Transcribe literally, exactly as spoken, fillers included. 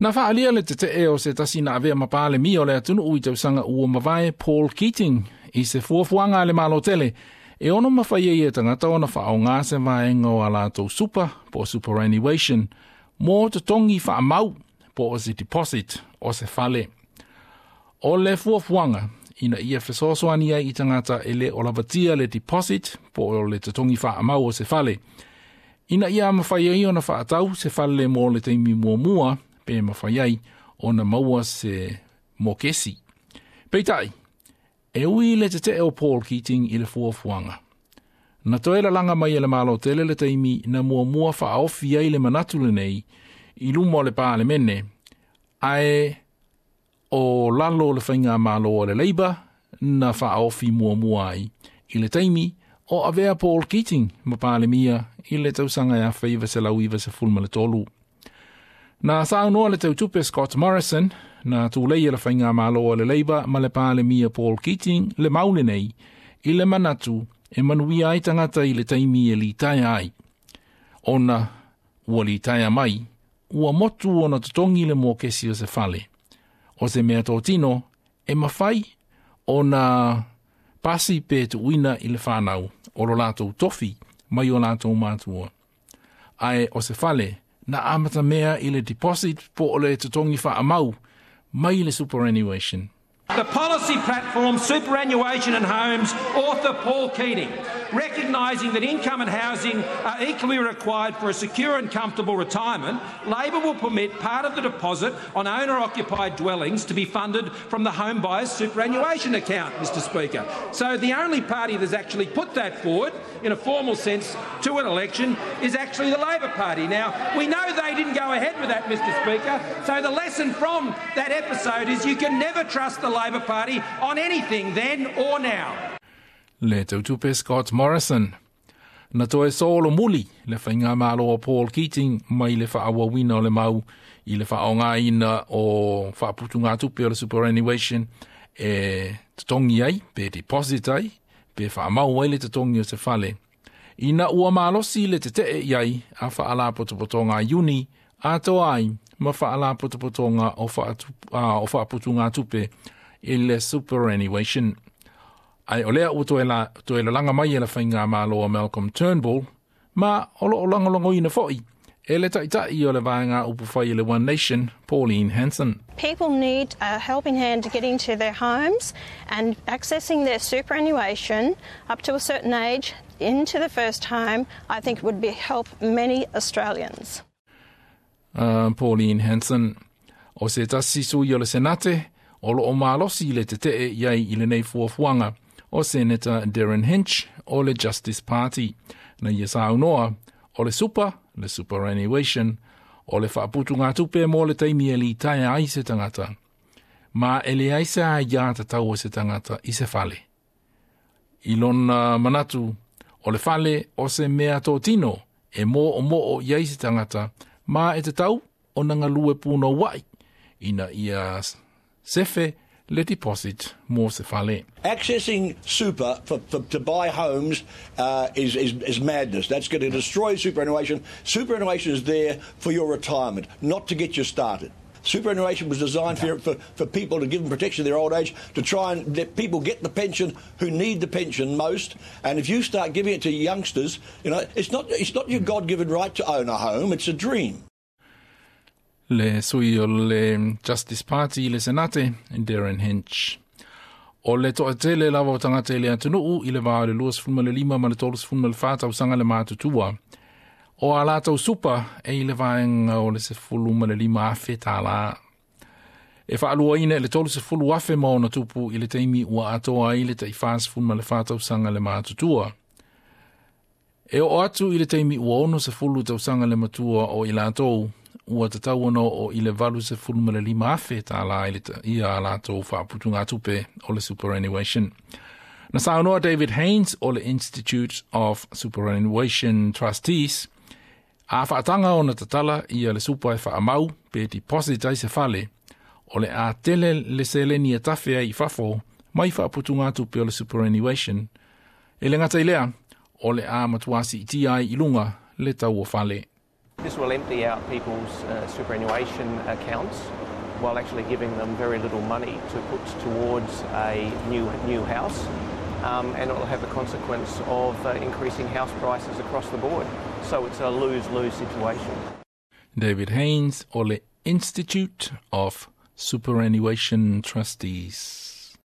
Na fa'alia le tete'e o se tasi na avea ma palemia o le atunu'u i tausaga ua mavae Paul Keating i se fuafuaga a le Malo tele e ono mafai ai e tagata ona fa'aaogā se vaega o a latou super po o superannuation mo totogi fa'amau po o se deposit o se fale. O le fuafuaga ina ia fesoasoani ai i tagata e lē o lavatia le deposit po o le totogi fa'amau o se fale. Ina ia mafai ai ona fa'atau se fale mo le taimi muamua pe mafai ai ona maua se mokesi. Peitai, e ui le tete'e o Paul Keating i le fuafuaga. Na toe lalaga mai e le Malo tele le taimi na muamua fa'aofi ai le manatu lenei i luma o le Palemene, ae o lalo o le faiga malo o le Labour na fa'aofi muamua ai i le taimi o avea Paul Keating ma Palemia i le tausaga e afe iva selau iva sefulu ma le tolu. Na saunoa le tautupe Scott Morrison na tulei e le faiga malo o le Labour ma le Palemia Paul Keating le mau lenei i le manatu e manuia ai tagata i le taimi e litaea ai. Ona ua litaea mai, ua motu ona totogi le mokesi o se fale. O se mea totino e mafai ona pasi pe tuuina i le whanau o lo latou tofi mai o latou matua. Ae o se fale na amata mea i le deposit po o le totogi fa'amau mai le superannuation. The policy platform, Superannuation and Homes, author Paul Keating, recognising that income and housing are equally required for a secure and comfortable retirement, Labor will permit part of the deposit on owner-occupied dwellings to be funded from the home buyer's superannuation account, Mr Speaker. So the only party that's actually put that forward, in a formal sense, to an election is actually the Labor Party. Now, we know they didn't go ahead with that, Mr Speaker, so the lesson from that episode is you can never trust the Labor Party on anything then or now. Le tautupe Scott Morrison. Na toe solomuli le faiga malo o Paul Keating mai le fa'aauauina o le mau i le fa'aaogāina o fa'aputugātupe o le superannuation e totogi ai, pe deposit ai, pe fa'amau ai le totogi o se fale. Ina ua malosi le tete'e i ai a fa'alapotopotoga a Iuni atoa ai ma fa'alapotopotoga o o fa'aputugātupe i le superannuation. Ae o lea ua toe, la, toe lalaga mai e le faiga malo o Malcolm Turnbull, ma o lo'o lagolagoina fo'i e le ta'ita'i o le vaega upufai i le One Nation, Pauline Hanson. People need a helping hand to get into their homes and accessing their superannuation up to a certain age into the first home, I think would be help many Australians. Uh, Pauline Hanson. O se tasi sui o le Senate, o lo'o malosi le tete'e i ai i lenei fuafuaga o Senator Derryn Hinch o le Justice Party. Na ia saunoa o le super, le superannuation, o le fa'aputugātupe mo le taimi e litaea ai se tagata. Ma e leai se aiā tatau o se tagata i se fale. I lona manatu, o le fale o se mea totino e mō o moo i ai se tagata, ma e tatau ona galue punoua'i ina ia sefe le deposit mo se fale. Accessing super for, for, to buy homes uh, is, is, is madness. That's going to destroy superannuation. Superannuation is there for your retirement, not to get you started. Superannuation was designed for, for, for people to give them protection in their old age, to try and let people get the pension who need the pension most. And if you start giving it to youngsters, you know, it's not, it's not your God-given right to own a home, it's a dream. Le sui o le Justice Party le Senate, Derryn Hinch. O le to'atele lava o tagata i le atunu'u i le vā o le lua sefulu ma le lima ma le tolu sefulu ma le fā tausaga le matutua. O a latou super e i le vaega o le sefulu ma le lima afe tālā. E fa'aluaina i le tolu sefulu afe ma ona tupu i le taimi ua atoa ai le ta'i sefulu ma le fā tausaga le matutua. E oo atu i le taimi ua ono sefulu tausaga le matua o i latou, ua tatau ona oo i le valu sefulu ma le lima afe tālā i le ia a latou fa'aputugātupe o le superannuation. Na saunoa David Haynes o le Institute of Superannuation Trustees, a fa'ataga ona tatala ia le super e fa'amau pe deposit ai se fale, o le a tele le seleni e tafe ai i fafo mai fa'aputugātupe o le superannuation. E le gata i lea, o le a matuā si'itia ai i luga le tau o fale. This will empty out people's uh, superannuation accounts while actually giving them very little money to put towards a new, new house. Um, and it will have the consequence of uh, increasing house prices across the board. So it's a lose-lose situation. David Haynes o le Institute of Superannuation Trustees.